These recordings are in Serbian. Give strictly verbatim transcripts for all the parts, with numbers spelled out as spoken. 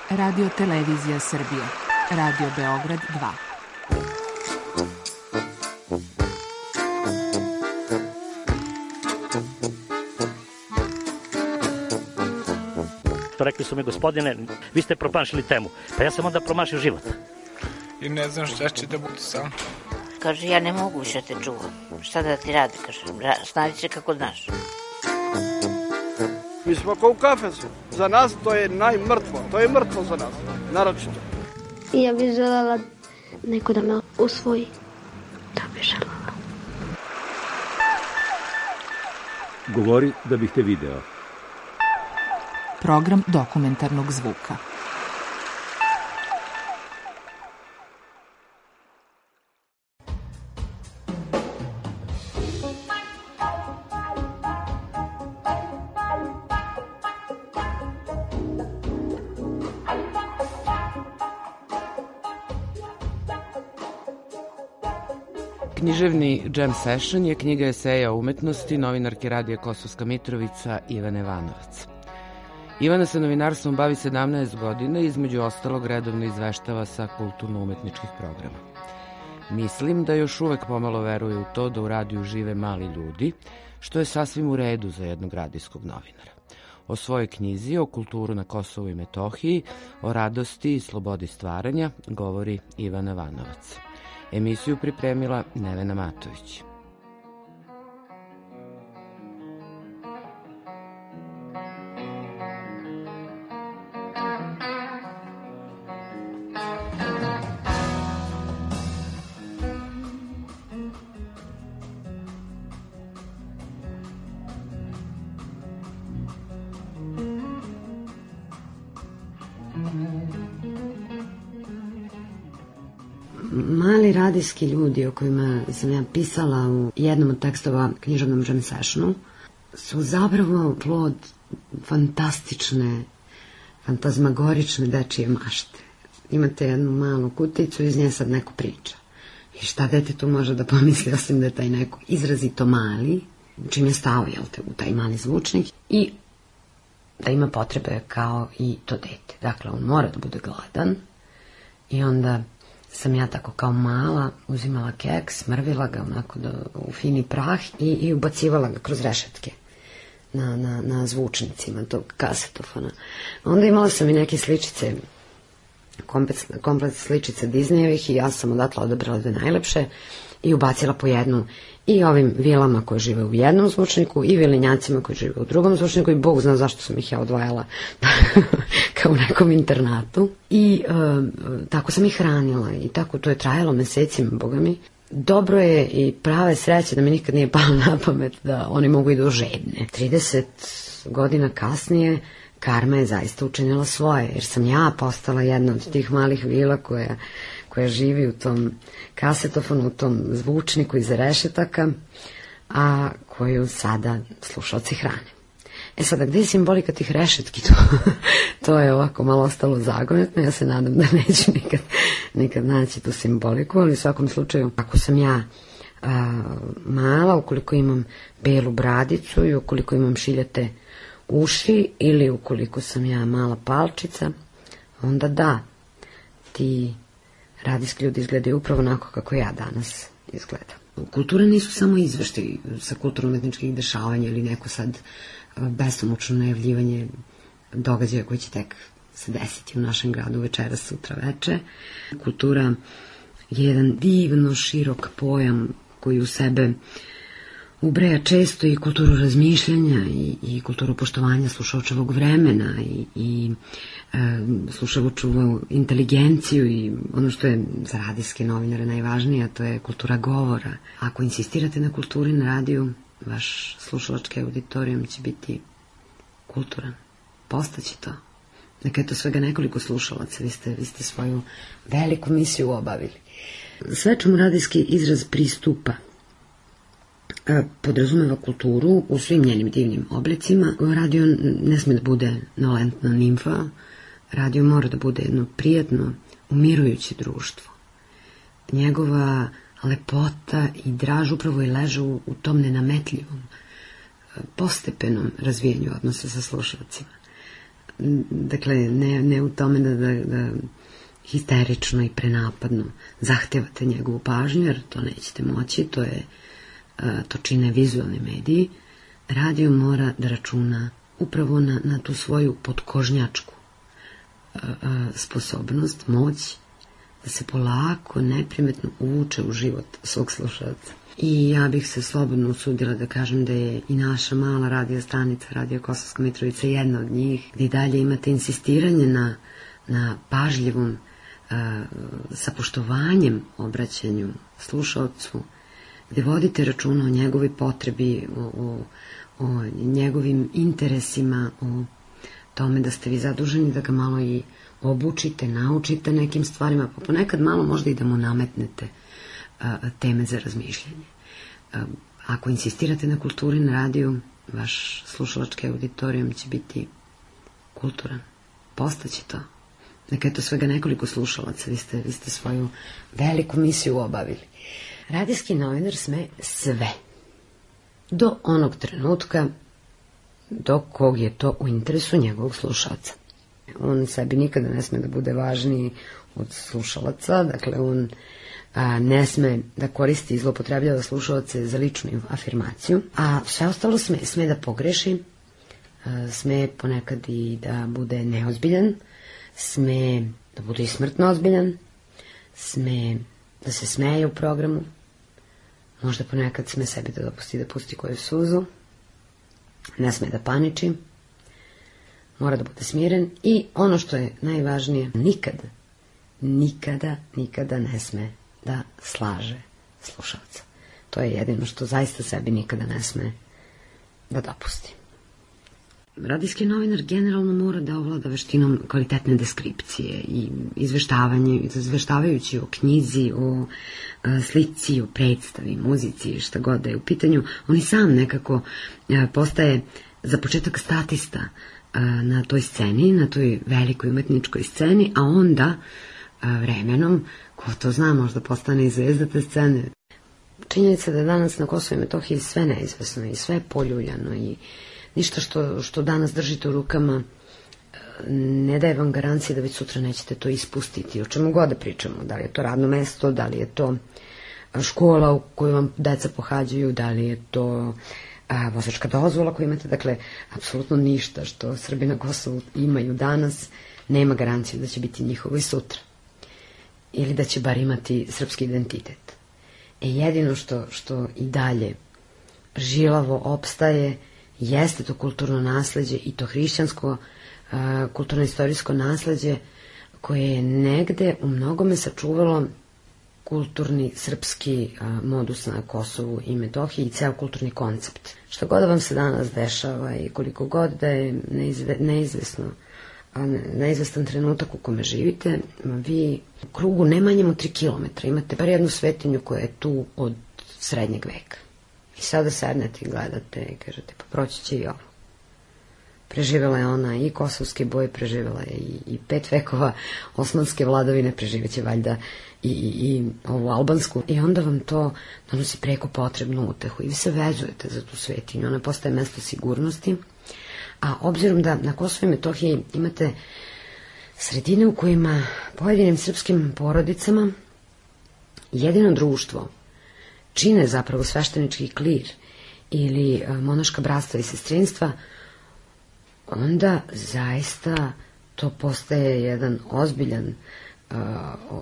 Radio Televizija Srbije. Radio Beograd dva. Rekli su mi, gospodine, vi ste promašili temu. Pa ja sam onda promašio život. I ne znam šta će da bude sam. Kaže, ja ne mogu više te čuvam. Šta da ti radi, kaže, snađi se kako znaš. Mi smo kao u kafesu. Za nas to je najmrtvo. To je mrtvo za nas, naročito. Ja bih želela neko da me usvoji. To bih želela. Govori da bih te video. Program dokumentarnog zvuka. Književni Jam Session je knjiga eseja o umetnosti novinarke Radija Kosovska Mitrovica Ivane Vanovac. Ivana se novinarstvom bavi sedamnaest godina i između ostalog redovno izveštava sa kulturno-umetničkih programa. Mislim da još uvek pomalo veruje u to da u radiju žive mali ljudi, što je sasvim u redu za jednog radijskog novinara. O svojoj knjizi, o kulturu na Kosovu i Metohiji, o radosti i slobodi stvaranja govori Ivana Vanovac. Emisiju pripremila Nevena Matović. Mali radijski ljudi o kojima sam ja pisala u jednom od tekstova književnom Jam Sessionu su zapravo plod fantastične, fantazmagorične dečije mašte. Imate jednu malu kuticu, iz nje sad neko priča. I šta dete tu može da pomisli, osim da je taj neko izrazito mali, čim je stao, jel te, u taj mali zvučnik, i da ima potrebe kao i to dete. Dakle, on mora da bude gladan i onda sam ja tako kao mala uzimala keks, smrvila ga onako da, u fini prah i, i ubacivala ga kroz rešetke na, na, na zvučnicima tog kasetofona. Onda imala sam i neke sličice, komplet, komplet sličice Disneyevih i ja sam odatle odabrala dve najlepše i ubacila po jednu i ovim vilama koje žive u jednom zvučniku i vilinjacima koji žive u drugom zvučniku i Bog zna zašto sam ih ja odvajala kao u nekom internatu. I e, tako sam ih hranila i tako to je trajalo mesecima, Boga mi. Dobro je i prave sreće da mi nikad nije palo na pamet da oni mogu i do žedne. trideset godina kasnije karma je zaista učinila svoje, jer sam ja postala jedna od tih malih vila koja koja živi u tom kasetofonu, u tom zvučniku iza rešetaka, a koju sada slušalci hrane. E sada, gde je simbolika tih rešetki? To, to je ovako malo ostalo zagonetno, ja se nadam da neću nikad, nikad naći tu simboliku, ali u svakom slučaju, ako sam ja a, mala, ukoliko imam belu bradicu i ukoliko imam šiljate uši ili ukoliko sam ja mala palčica, onda da, ti radijski ljudi izgledaju upravo onako kako ja danas izgledam. Kultura nisu samo izveštaj sa kulturno-umetničkih dešavanja ili neko sad besomučno najavljivanje događaja koji će tek se desiti u našem gradu večeras, sutra veče. Kultura je jedan divno širok pojam koji u sebe ubreja često i kulturu razmišljanja i, i kulturu poštovanja slušaočevog vremena i, i e, slušaočevu inteligenciju i ono što je za radijske novinare najvažnije, a to je kultura govora. Ako insistirate na kulturi na radiju, vaš slušalački auditorijum će biti kulturan. Postaće to. Neka je to svega nekoliko slušalaca, vi ste, vi ste svoju veliku misiju obavili. Sve čemu radijski izraz pristupa podrazumeva kulturu u svim njenim divnim oblicima. Radio ne sme da bude nolentna nimfa, radio mora da bude jedno prijatno, umirujuće društvo. Njegova lepota i draž upravo i leže u, u tom nenametljivom, postepenom razvijanju odnosa sa slušalcima. dakle, ne, ne u tome da, da, da histerično i prenapadno zahtevate njegovu pažnju, jer to nećete moći, to je, to čine vizualni mediji. Radio mora da računa upravo na, na tu svoju podkožnjačku sposobnost, moć, da se polako, neprimetno uvuče u život svog slušalca. I ja bih se slobodno usudila da kažem da je i naša mala radio stanica, Radio Kosovska Mitrovica, jedna od njih, gdje dalje imate insistiranje na, na pažljivom, uh, sa poštovanjem obraćanju slušalcu, gdje vodite računa o njegovoj potrebi, o, o, o njegovim interesima, o tome da ste vi zaduženi da ga malo i obučite, naučite nekim stvarima, pa ponekad malo možda i da mu nametnete a, teme za razmišljanje. A, ako insistirate na kulturi na radiju, vaš slušalački auditorijum će biti kulturan. Postaće to. Neka je to svega nekoliko slušalaca, vi ste, vi ste svoju veliku misiju obavili. Radijski novinar sme sve. Do onog trenutka do kog je to u interesu njegovog slušalca. On sebi nikada ne sme da bude važniji od slušalaca, dakle on a, ne sme da koristi i zlopotrebljava slušalce za ličnu afirmaciju, a sve ostalo sme, sme da pogreši, a, sme ponekad i da bude neozbiljan, sme da bude i smrtno ozbiljan, sme da se smeje u programu, možda ponekad sme sebi da dopusti da pusti koju suzu, ne sme da paniči, mora da bude smiren i ono što je najvažnije, nikada, nikada, nikada ne sme da slaže slušalca. To je jedino što zaista sebi nikada ne sme da dopusti. Radijski novinar generalno mora da ovlada veštinom kvalitetne deskripcije i izveštavanje, izveštavajući o knjizi, o a, slici, o predstavi, muzici, šta god da je u pitanju. On i sam nekako a, postaje za početak statista a, na toj sceni, na toj velikoj umetničkoj sceni, a onda a, vremenom, ko to zna, možda postane i zvezda te scene. Činjenica da je danas na Kosovu i Metohiji sve neizvesno i sve poljuljano i ništa što, što danas držite u rukama ne daje vam garancije da već sutra nećete to ispustiti. O čemu god da pričamo, da li je to radno mesto, da li je to škola u kojoj vam deca pohađaju, da li je to a, vozačka dozvola koju imate. Dakle, apsolutno ništa što Srbi na Kosovu imaju danas nema garanciju da će biti njihovo i sutra. Ili da će bar imati srpski identitet. E jedino što, što i dalje žilavo opstaje jeste to kulturno nasleđe i to hrišćansko kulturno-istorijsko nasleđe koje je negde u mnogome sačuvalo kulturni srpski modus na Kosovu i Metohiji i ceo kulturni koncept. Što god da vam se danas dešava i koliko god da je neizve, neizvesno, neizvestan trenutak u kome živite, vi u krugu ne manjemo tri kilometra imate bar jednu svetinju koja je tu od srednjeg veka. I sada sednete i gledate i kažete, pa proći će i ovo. Preživjela je ona i kosovski boj, preživjela je i, i pet vekova osmanske vladavine, preživjeće valjda i, i, i ovu albansku. I onda vam to donosi preko potrebnu utehu i vi se vezujete za tu svetinju. Ona postaje mesto sigurnosti. A obzirom da na Kosovu i Metohiji imate sredine u kojima pojedinim srpskim porodicama jedino društvo čine zapravo sveštenički klir ili monaška bratstva i sestrinstva, onda zaista to postaje jedan ozbiljan, uh,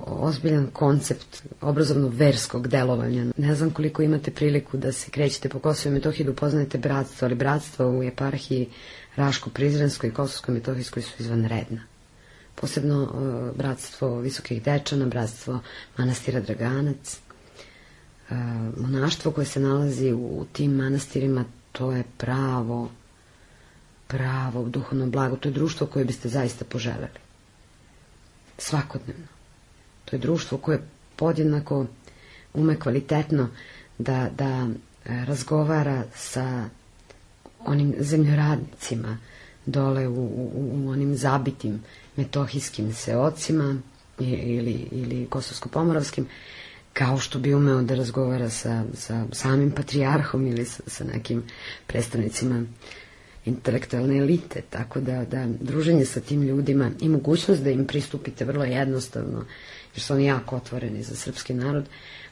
ozbiljan koncept obrazovno-verskog delovanja. Ne znam koliko imate priliku da se krećete po Kosovu i Metohiji da upoznajete bratstvo, ali bratstva u eparhiji Raško-Prizrenskoj i Kosovsko-Metohijskoj su izvanredna. Posebno uh, bratstvo Visokih Dečana, bratstvo manastira Draganac. Uh, monaštvo koje se nalazi u, u tim manastirima, to je pravo pravo duhovno blago, to je društvo koje biste zaista poželjeli. Svakodnevno. To je društvo koje podjednako ume kvalitetno da, da razgovara sa onim zemljoradnicima dole u, u, u onim zabitim metohijskim seocima ili, ili kosovsko-pomoravskim, kao što bi umeo da razgovara sa, sa samim patrijarhom ili sa, sa nekim predstavnicima intelektualne elite, tako da, da druženje sa tim ljudima i mogućnost da im pristupite vrlo jednostavno, jer su oni jako otvoreni za srpski narod,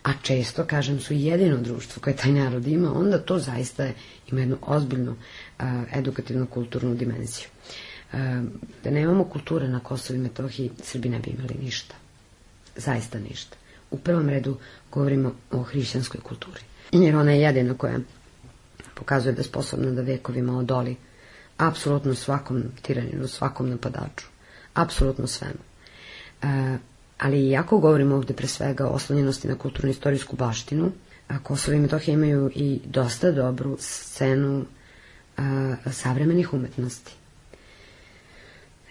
a često, kažem, su jedino društvo koje taj narod ima, onda to zaista ima jednu ozbiljnu a, edukativnu kulturnu dimenziju. A, da nemamo kulture na Kosovu i Metohiji, Srbi ne bi imali ništa. Zaista ništa. U prvom redu govorimo o hrišćanskoj kulturi. Jer ona je jedina koja pokazuje da je sposobna da vekovima odoli apsolutno svakom tiraninu, svakom napadaču. Apsolutno svemu. E, ali iako govorimo ovde pre svega o oslonjenosti na kulturno-istorijsku baštinu, a Kosovo i Metohija imaju i dosta dobru scenu a, savremenih umetnosti.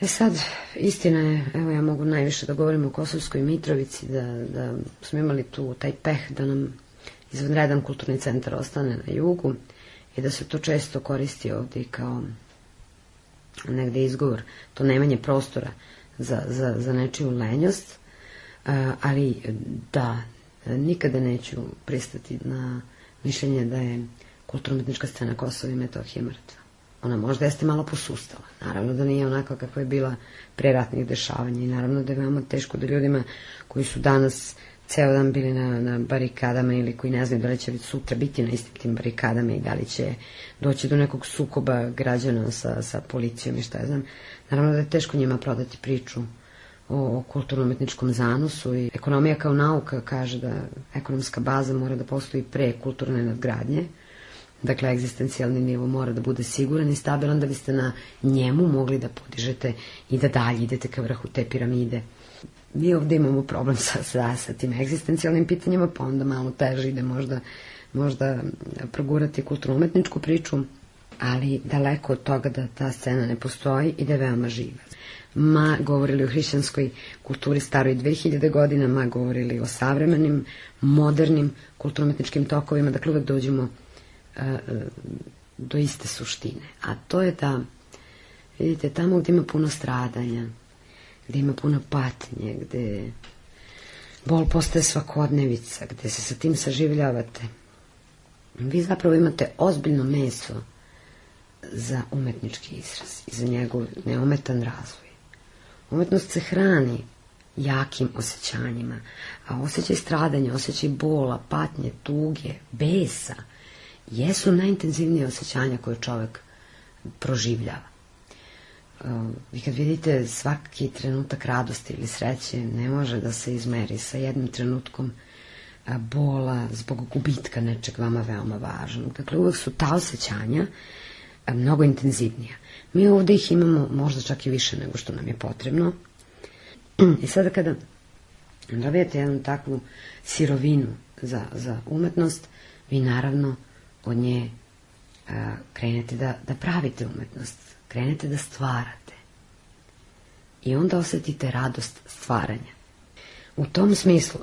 E sad, istina je, evo ja mogu najviše da govorim o Kosovskoj Mitrovici, da, da smo imali tu taj peh da nam izvanredan kulturni centar ostane na jugu i da se to često koristi ovdje kao negde izgovor, to nemanje prostora za, za, za nečiju lenjost, ali da, nikada neću pristati na mišljenje da je kulturno-umetnička scena Kosova i Metohije mrtva. Ona možda jeste malo posustala. Naravno da nije onako kakva je bila pre ratnih dešavanja i naravno da je veoma teško da ljudima koji su danas ceo dan bili na, na barikadama ili koji ne znaju da li će sutra biti na istim tim barikadama i da li će doći do nekog sukoba građana sa, sa policijom i šta ja znam. Naravno da je teško njima prodati priču o, o kulturno-umetničkom zanosu i ekonomija kao nauka kaže da ekonomska baza mora da postoji pre kulturne nadgradnje. Dakle, egzistencijalni nivo mora da bude siguran i stabilan da biste na njemu mogli da podižete i da dalje idete ka vrhu te piramide. Mi ovdje imamo problem sa, sa, sa tim egzistencijalnim pitanjima, pa onda malo teže ide možda, možda progurati kulturno-umetničku priču, ali daleko od toga da ta scena ne postoji i da je veoma živa. Ma govorili o hrišćanskoj kulturi staroj dve hiljade godina, ma govorili o savremenim, modernim kulturno-umetničkim tokovima, dakle uvek dođemo do iste suštine. A to je da, vidite, tamo gdje ima puno stradanja, gdje ima puno patnje, gdje bol postaje svakodnevica, gdje se sa tim saživljavate, vi zapravo imate ozbiljno meso za umetnički izraz i za njegov neometan razvoj. Umetnost se hrani jakim osjećanjima, a osjećaj stradanja, osjećaj bola, patnje, tuge, besa jesu najintenzivnije osjećanja koje čovjek proživljava. Vi kad vidite svaki trenutak radosti ili sreće ne može da se izmeri sa jednim trenutkom bola zbog gubitka nečeg vama veoma važnog. Dakle, uvek su ta osjećanja mnogo intenzivnija. Mi ovdje ih imamo možda čak i više nego što nam je potrebno. I sada kada dobijete jednu takvu sirovinu za, za umetnost, vi naravno od nje a, krenete da, da pravite umetnost, krenete da stvarate. I onda osjetite radost stvaranja. U tom smislu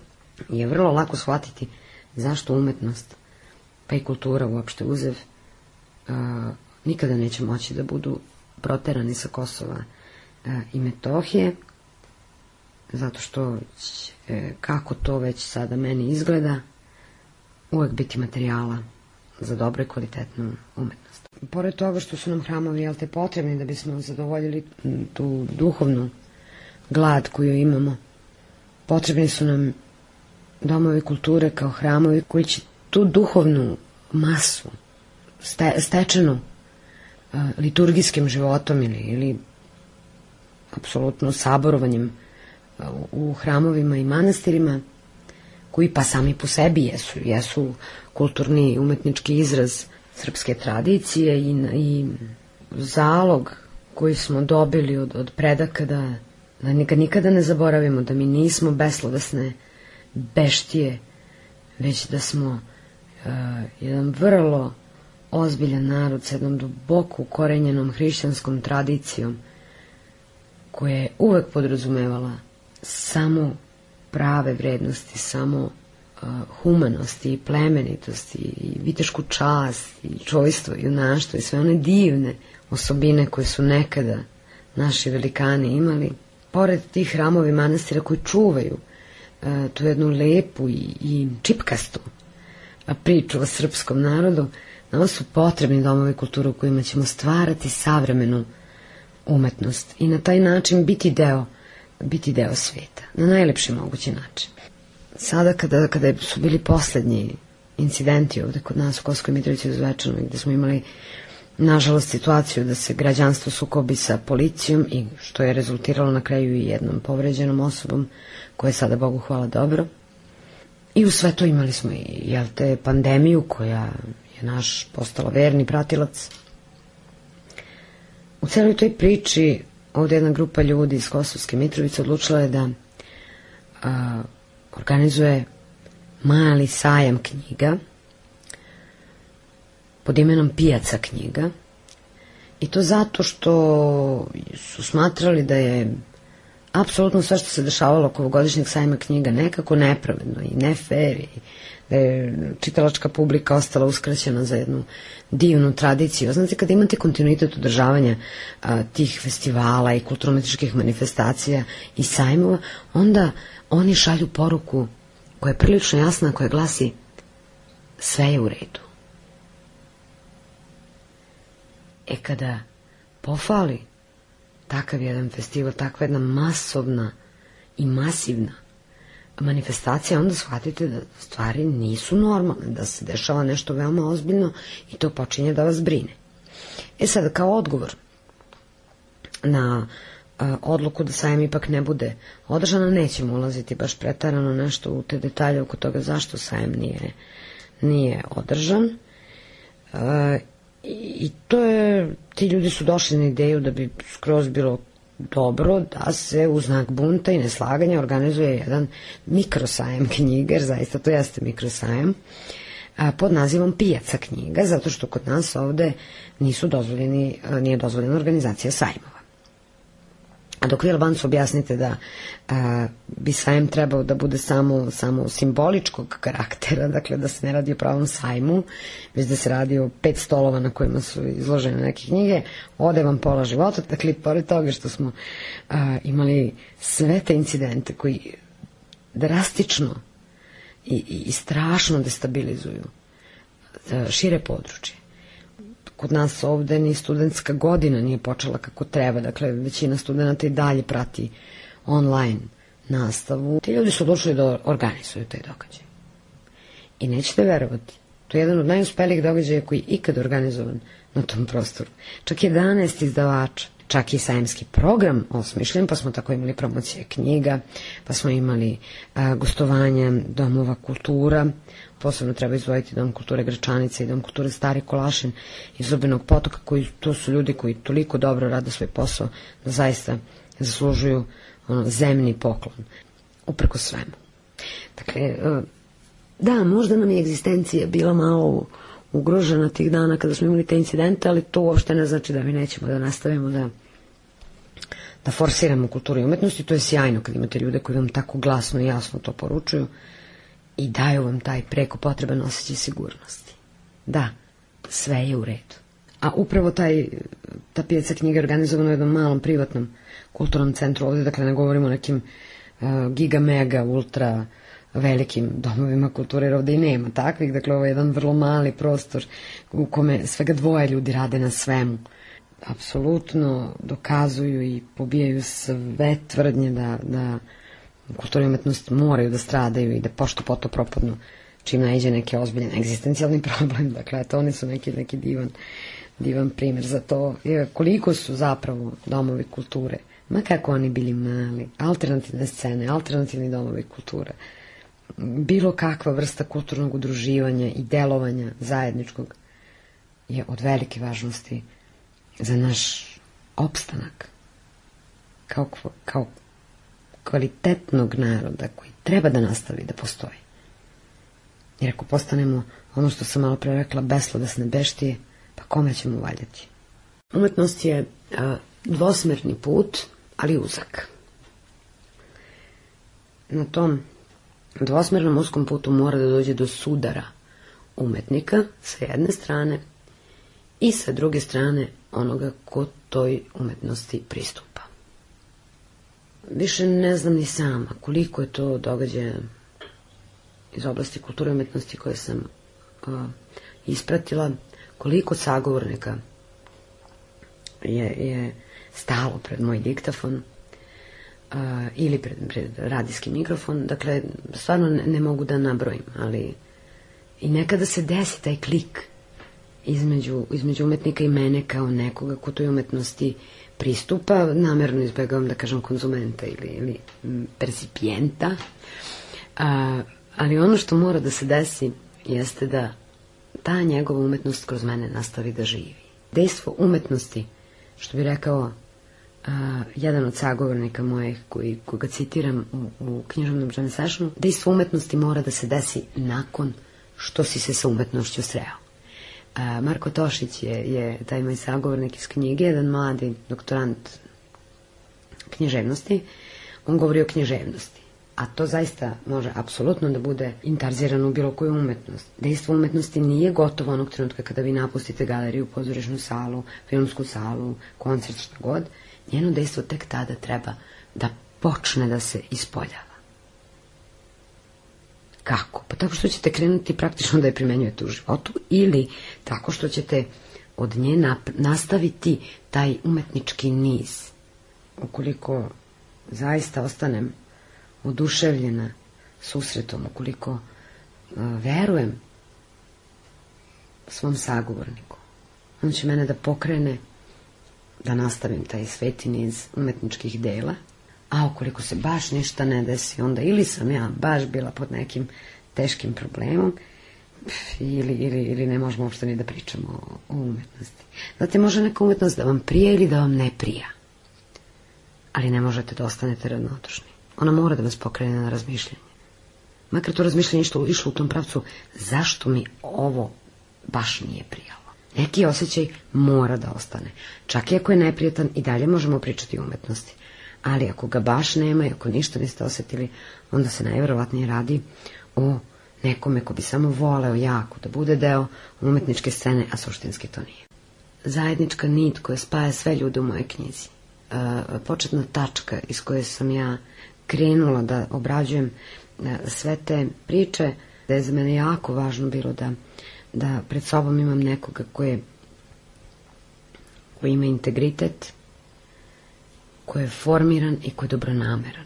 je vrlo lako shvatiti zašto umetnost, pa i kultura uopšte uzev, a, nikada neće moći da budu proterani sa Kosova a, i Metohije, zato što će, kako to već sada meni izgleda, uvek biti materijala za dobro i kvalitetnu umetnost. Pored toga što su nam hramovi, jel te, potrebni da bismo zadovoljili tu duhovnu glad koju imamo, potrebni su nam domovi kulture kao hramovi koji će tu duhovnu masu ste, stečenu uh, liturgijskim životom ili, ili apsolutno saborovanjem uh, u hramovima i manastirima, koji pa sami po sebi jesu, jesu kulturni umetnički izraz srpske tradicije i, i zalog koji smo dobili od, od predaka da, da nikad, nikada ne zaboravimo da mi nismo beslovesne beštije, već da smo uh, jedan vrlo ozbiljan narod s jednom duboko ukorenjenom hrišćanskom tradicijom koja je uvek podrazumevala samo prave vrednosti, samo uh, humanosti i plemenitosti i vitešku čast i čojstvo i junaštvo i sve one divne osobine koje su nekada naši velikani imali. Pored tih hramovi manastira koji čuvaju uh, tu jednu lepu i, i čipkastu priču o srpskom narodu, Nama su potrebni domovi kulture u kojima ćemo stvarati savremenu umetnost i na taj način biti deo, biti deo sveta, na najlepši mogući način. Sada kada, kada su bili poslednji incidenti ovde kod nas u Kosovskoj Mitrovici u Zvečanu, gde smo imali nažalost situaciju da se građanstvo sukobi sa policijom i što je rezultiralo na kraju i jednom povređenom osobom koja je sada, Bogu hvala, dobro. I u sve to imali smo i jel te pandemiju koja je naš postala verni pratilac. U celoj toj priči ovde jedna grupa ljudi iz Kosovske Mitrovice odlučila je da a, organizuje mali sajam knjiga pod imenom Pijaca knjiga, i to zato što su smatrali da je apsolutno sve što se dešavalo oko ovogodišnjeg sajma knjiga nekako nepravedno i ne fair, i da je čitalačka publika ostala uskraćena za jednu divnu tradiciju. Znate, kada imate kontinuitet održavanja a, tih festivala i kulturno-umetničkih manifestacija i sajmova, onda oni šalju poruku koja je prilično jasna, koja glasi: sve je u redu. E kada pofali takav jedan festival, takva jedna masovna i masivna manifestacija, onda shvatite da stvari nisu normalne, da se dešava nešto veoma ozbiljno i to počinje da vas brine. E sad, kao odgovor na a, odluku da sajam ipak ne bude održana, nećemo ulaziti baš pretarano nešto u te detalje oko toga zašto sajam nije, nije održan. A, I to je, ti ljudi su došli na ideju da bi skroz bilo dobro da se u znak bunta i neslaganja organizuje jedan mikrosajem knjiga, jer zaista to jeste mikrosajem, pod nazivom Pijaca knjiga, zato što kod nas ovde nisu dozvoljeni, nije dozvoljena organizacija sajmova. A dok vi Albancu objasnite da a, bi sajem trebao da bude samo, samo simboličkog karaktera, dakle da se ne radi o pravom sajmu, već da se radi o pet stolova na kojima su izložene neke knjige, ode vam pola života. Dakle, pored toga što smo a, imali sve te incidente koji drastično i, i, i strašno destabilizuju a, šire područje. Kod nas ovde ni studentska godina nije počela kako treba, dakle većina studenta i dalje prati online nastavu. Ti ljudi su odlučili da organizuju taj događaj. I nećete verovati, to je jedan od najuspelijih događaja koji je ikad organizovan na tom prostoru. Čak jedanaest izdavača, čak i sajemski program osmišljen, pa smo tako imali promocije knjiga, pa smo imali a, gostovanja domova kultura. Posebno treba izdvojiti Dom kulture Gračanica i Dom kulture Stari Kolašin iz Zubinog Potoka, koji to su ljudi koji toliko dobro rade svoj posao da zaista zaslužuju ono, zemni poklon, upreko svemu. Dakle, da, možda nam je egzistencija bila malo ugrožena tih dana kada smo imali te incidente, ali to uopšte ne znači da mi nećemo da nastavimo da da forsiramo kulturu i umetnosti. To je sjajno kad imate ljude koji vam tako glasno i jasno to poručuju i daju vam taj preko potreban osjećaj sigurnosti. Da, sve je u redu. A upravo taj, ta Pijaca knjiga je organizovana u jednom malom privatnom kulturnom centru ovde, dakle ne govorimo o nekim uh, giga, mega, ultra velikim domovima kulture, jer ovde i nema takvih, dakle ovo je jedan vrlo mali prostor u kome svega dvoje ljudi rade na svemu. Apsolutno dokazuju i pobijaju sve tvrdnje da, da kultura i umetnost moraju da stradaju i da pošto poto propadnu čim naiđe neki ozbiljan egzistencijalni problem. Dakle, eto, oni su neki, neki divan, divan primjer za to. I koliko su zapravo domovi kulture, ma kako oni bili mali, alternativne scene, alternativni domovi kulture, bilo kakva vrsta kulturnog udruživanja i delovanja zajedničkog je od velike važnosti za naš opstanak kao, kao kvalitetnog naroda koji treba da nastavi da postoji. Jer ako postanemo ono što sam malo pre rekla, beslodesne beštije, pa kome ćemo valjati? Umetnost je a, dvosmerni put, ali uzak. Na tom dvosmernom uskom putu mora da dođe do sudara umetnika sa jedne strane i sa druge strane onoga ko toj umetnosti pristupa. Više ne znam ni sama koliko je to događaja iz oblasti kulture i umetnosti koje sam uh, ispratila, koliko sagovornika je, je stalo pred moj diktafon uh, ili pred, pred radijski mikrofon. Dakle, stvarno ne, ne mogu da nabrojim, ali i nekada se desi taj klik između, između umetnika i mene kao nekoga ko toj umetnosti pristupa, namerno izbegavam da kažem konzumenta ili, ili percipijenta, a, ali ono što mora da se desi jeste da ta njegova umetnost kroz mene nastavi da živi. Dejstvo umetnosti, što bi rekao a, jedan od sagovornika mojih koji, koga citiram u, u književnom jam sessionu, dejstvo umetnosti mora da se desi nakon što si se sa umetnošću sreo. A, Marko Tošić je, je taj moj sagovornik iz knjige, jedan mladi doktorant književnosti. On govori o književnosti, a to zaista može apsolutno da bude intarzirano u bilo koju umetnost. Dejstvo umetnosti nije gotovo onog trenutka kada vi napustite galeriju, pozorišnu salu, filmsku salu, koncert, šta god. Njeno dejstvo tek tada treba da počne da se ispoljava. Kako? Pa tako što ćete krenuti praktično da je primenjujete u životu ili tako što ćete od nje nastaviti taj umetnički niz. Ukoliko zaista ostanem oduševljena susretom, ukoliko uh, verujem svom sagovorniku, on će mene da pokrene da nastavim taj sveti niz umetničkih dela. A ukoliko se baš ništa ne desi, onda ili sam ja baš bila pod nekim teškim problemom, ili, ili, ili ne možemo uopšte ni da pričamo o, o umetnosti. Znate, može neka umetnost da vam prija ili da vam ne prija, ali ne možete da ostanete ravnodušni. Ona mora da vas pokrene na razmišljanje. Makar to razmišljanje išlo, išlo u tom pravcu, zašto mi ovo baš nije prijalo. Neki osjećaj mora da ostane. Čak i ako je neprijatan, i dalje možemo pričati o umetnosti. Ali ako ga baš nema i ako ništa niste osetili, onda se najverovatnije radi o nekome ko bi samo voleo jako da bude deo umetničke scene, a suštinski to nije. Zajednička nit koja spaja sve ljude u mojoj knjizi. E, početna tačka iz koje sam ja krenula da obrađujem sve te priče, da je za mene jako važno bilo da, da pred sobom imam nekoga koje, koji ima integritet, koji je formiran i koji je dobronameran.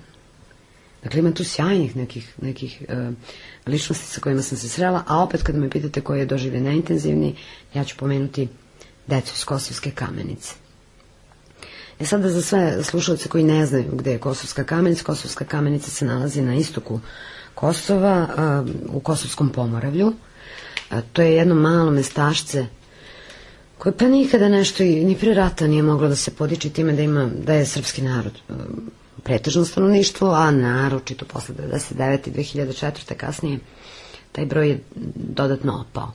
Dakle, ima tu sjajnih nekih, nekih uh, ličnosti sa kojima sam se srela, a opet kad me pitate koji je doživlje najintenzivniji, ja ću pomenuti decu iz Kosovske Kamenice. E sada za sve slušalce koji ne znaju gde je Kosovska Kamenica, Kosovska Kamenica se nalazi na istoku Kosova, uh, u Kosovskom Pomoravlju. Uh, to je jedno malo mestašce koje pa nikada nešto i ni pre rata nije moglo da se podiči time da ima, da je srpski narod pretežno stanovništvo, a naročito posle devedeset devete i dve hiljade četvrte kasnije taj broj je dodatno opao.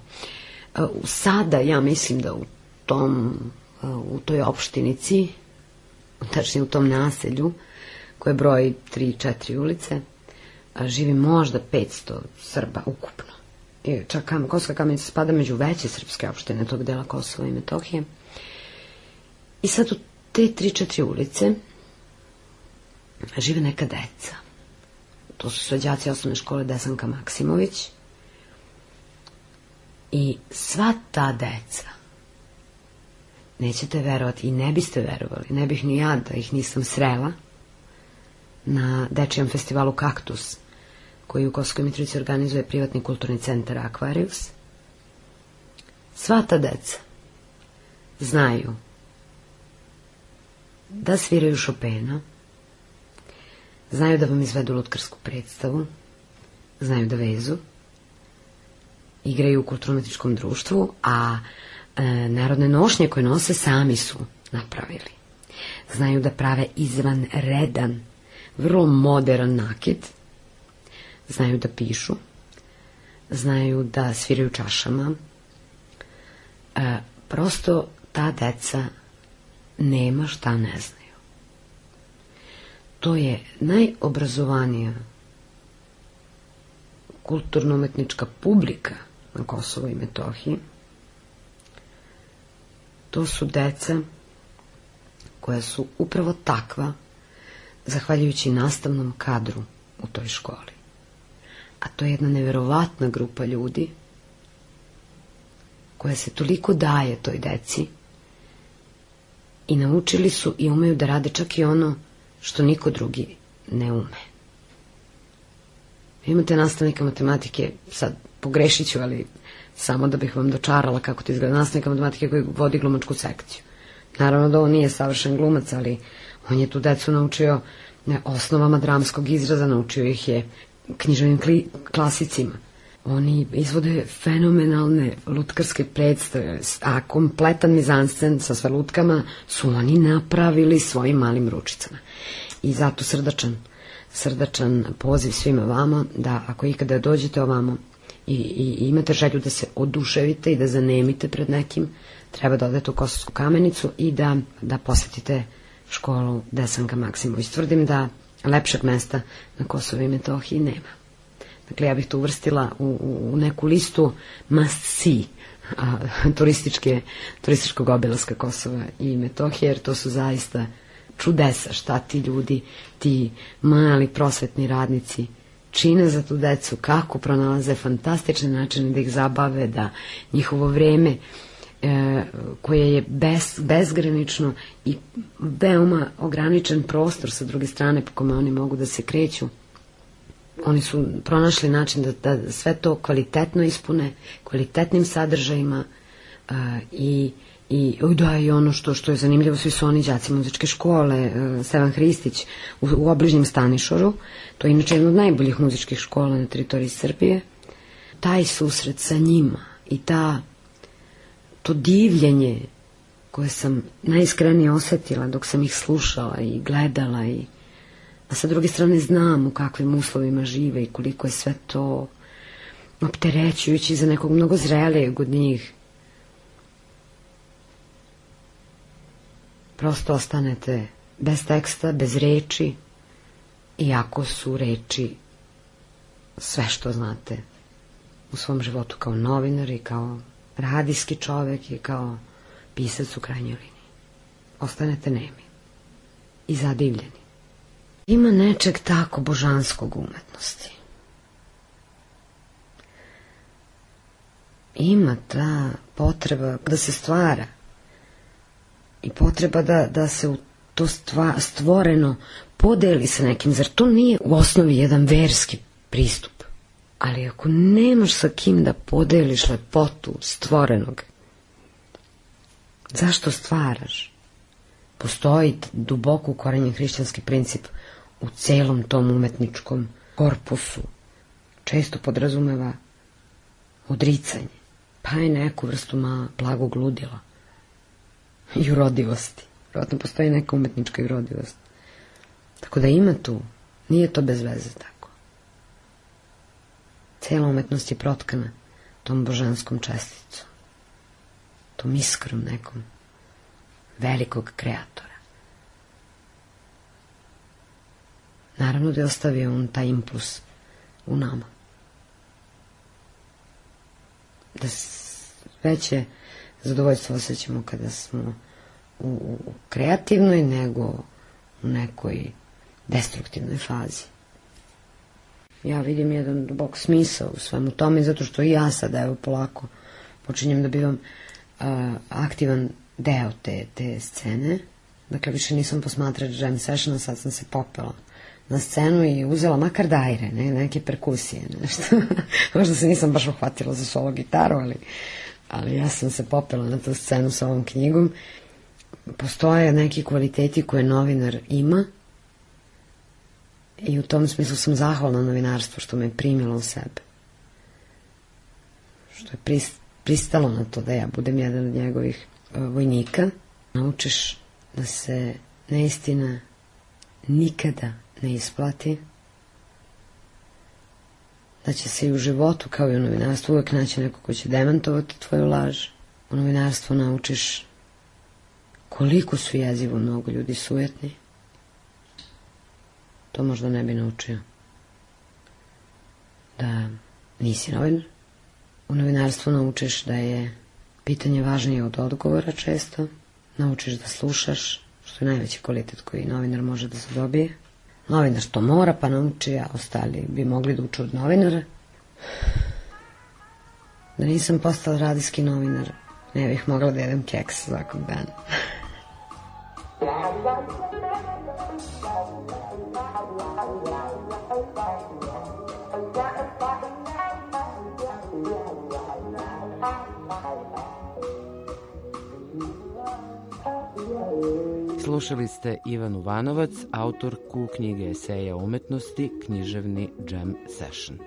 Sada ja mislim da u tom u toj opštinici, tačnije u tom naselju koje broji tri četiri ulice, živi možda petsto Srba ukupno. I čak Kosovska Kamenica spada među veće srpske opštine tog dela Kosova i Metohije. I sad u te tri četiri ulice žive neka deca. To su sve đaci osnovne škole Desanka Maksimović. I sva ta deca, nećete verovati i ne biste verovali, ne bih ni ja da ih nisam srela na dečijem festivalu Kaktus, koji u Kosovskoj Mitrovici organizuje privatni kulturni centar Aquarius. Sva ta deca znaju da sviraju Chopina, znaju da vam izvedu lutkarsku predstavu, znaju da vezu, igraju u kulturno-umetničkom društvu, a e, narodne nošnje koje nose sami su napravili. Znaju da prave izvanredan, vrlo modern nakit, znaju da pišu, znaju da sviraju čašama. E, prosto ta deca nema šta ne znaju. To je najobrazovanija kulturno-umetnička publika na Kosovu i Metohiji. To su deca koja su upravo takva zahvaljujući nastavnom kadru u toj školi. A to je jedna neverovatna grupa ljudi koja se toliko daje toj deci i naučili su i umeju da rade čak i ono što niko drugi ne ume. Imate nastavnika matematike, sad pogrešit ću, ali samo da bih vam dočarala kako to izgleda, nastavnika matematike koji vodi glumačku sekciju. Naravno da on nije savršen glumac, ali on je tu decu naučio ne, osnovama dramskog izraza, naučio ih je književnim kli, klasicima. Oni izvode fenomenalne lutkarske predstave, a kompletan mizanscen sa sve lutkama su oni napravili svojim malim ručicama. I zato srdačan, srdačan poziv svima vama da ako ikada dođete ovamo i, i, i imate želju da se oduševite i da zanemite pred nekim, treba da odete u Kosovsku Kamenicu i da, da posetite školu Desanka Maksimović. Tvrdim da lepšeg mesta na Kosovu i Metohiji nema. Dakle, ja bih to uvrstila u, u neku listu must see a, turističke, turističkog obilaska Kosova i Metohije, jer to su zaista čudesa šta ti ljudi, ti mali prosvetni radnici čine za tu decu, kako pronalaze fantastične načine da ih zabave, da njihovo vreme e, koje je bez, bezgranično i veoma ograničen prostor sa druge strane po kome oni mogu da se kreću. Oni su pronašli način da, da sve to kvalitetno ispune, kvalitetnim sadržajima uh, i, i, da, i ono što, što je zanimljivo, svi su oni đaci muzičke škole, uh, Stevan Hristić u, u obližnjem Stanišoru, to je inače jedna od najboljih muzičkih škola na teritoriji Srbije. Taj susret sa njima i ta, to divljenje koje sam najiskrenije osetila dok sam ih slušala i gledala i a sa druge strane znam u kakvim uslovima žive i koliko je sve to opterećujući za nekog mnogo zrelijeg od njih. Prosto ostanete bez teksta, bez reči, iako su reči sve što znate u svom životu kao novinar i kao radijski čovek i kao pisac u krajnjoj liniji. Ostanete nemi i zadivljeni. Ima nečeg tako božanskog u umetnosti. Ima ta potreba da se stvara i potreba da, da se u to stva, stvoreno podeli sa nekim. Zar to nije u osnovi jedan verski pristup? Ali ako nemaš sa kim da podeliš lepotu stvorenog, zašto stvaraš? Postoji duboko ukorenjen hrišćanski princip u celom tom umetničkom korpusu. Često podrazumeva odricanje, pa je neku vrstu ma blagog ludila i urodivosti. Vjerojatno postoji neka umetnička urodivost. Tako da ima tu, nije to bez veze tako. Cela umetnost je protkana tom božanskom česticom, tom iskrom nekom velikog kreatora. Naravno da je ostavio on taj impuls u nama. Da veće zadovoljstvo osjećamo kada smo u, u kreativnoj nego u nekoj destruktivnoj fazi. Ja vidim jedan dubok smisao u svemu tome, zato što i ja sada evo polako počinjem da bivam uh, aktivan deo te, te scene. Dakle, više nisam posmatrač jam sessiona, sad sam se popela na scenu i uzela makar dajre, ne, neke perkusije, nešto. Možda se nisam baš uhvatila za solo gitaru, ali, ali ja sam se popela na tu scenu sa ovom knjigom. Postoje neki kvaliteti koje novinar ima i u tom smislu sam zahvalna novinarstvu što me je primilo u sebe. Što je pristalo na to da ja budem jedan od njegovih vojnika. Naučiš da se neistina nikada ne isplati, da će se i u životu kao i u novinarstvu uvek naći neko ko će demantovati tvoju laž. U novinarstvu naučiš koliko su jezivo mnogo ljudi sujetni. To možda ne bi naučio da nisi novinar. U novinarstvu naučiš da je pitanje važnije od odgovora često. Naučiš da slušaš, što je najveći kvalitet koji novinar može da se dobije. Novinar što mora pa nauči, a ostali bi mogli da uče od novinara. Da nisam postala radijski novinar, ne bih mogla da jedem keks svakog dana. Slušali ste Ivanu Vanovac, autorku knjige eseja o umetnosti Književni jam session.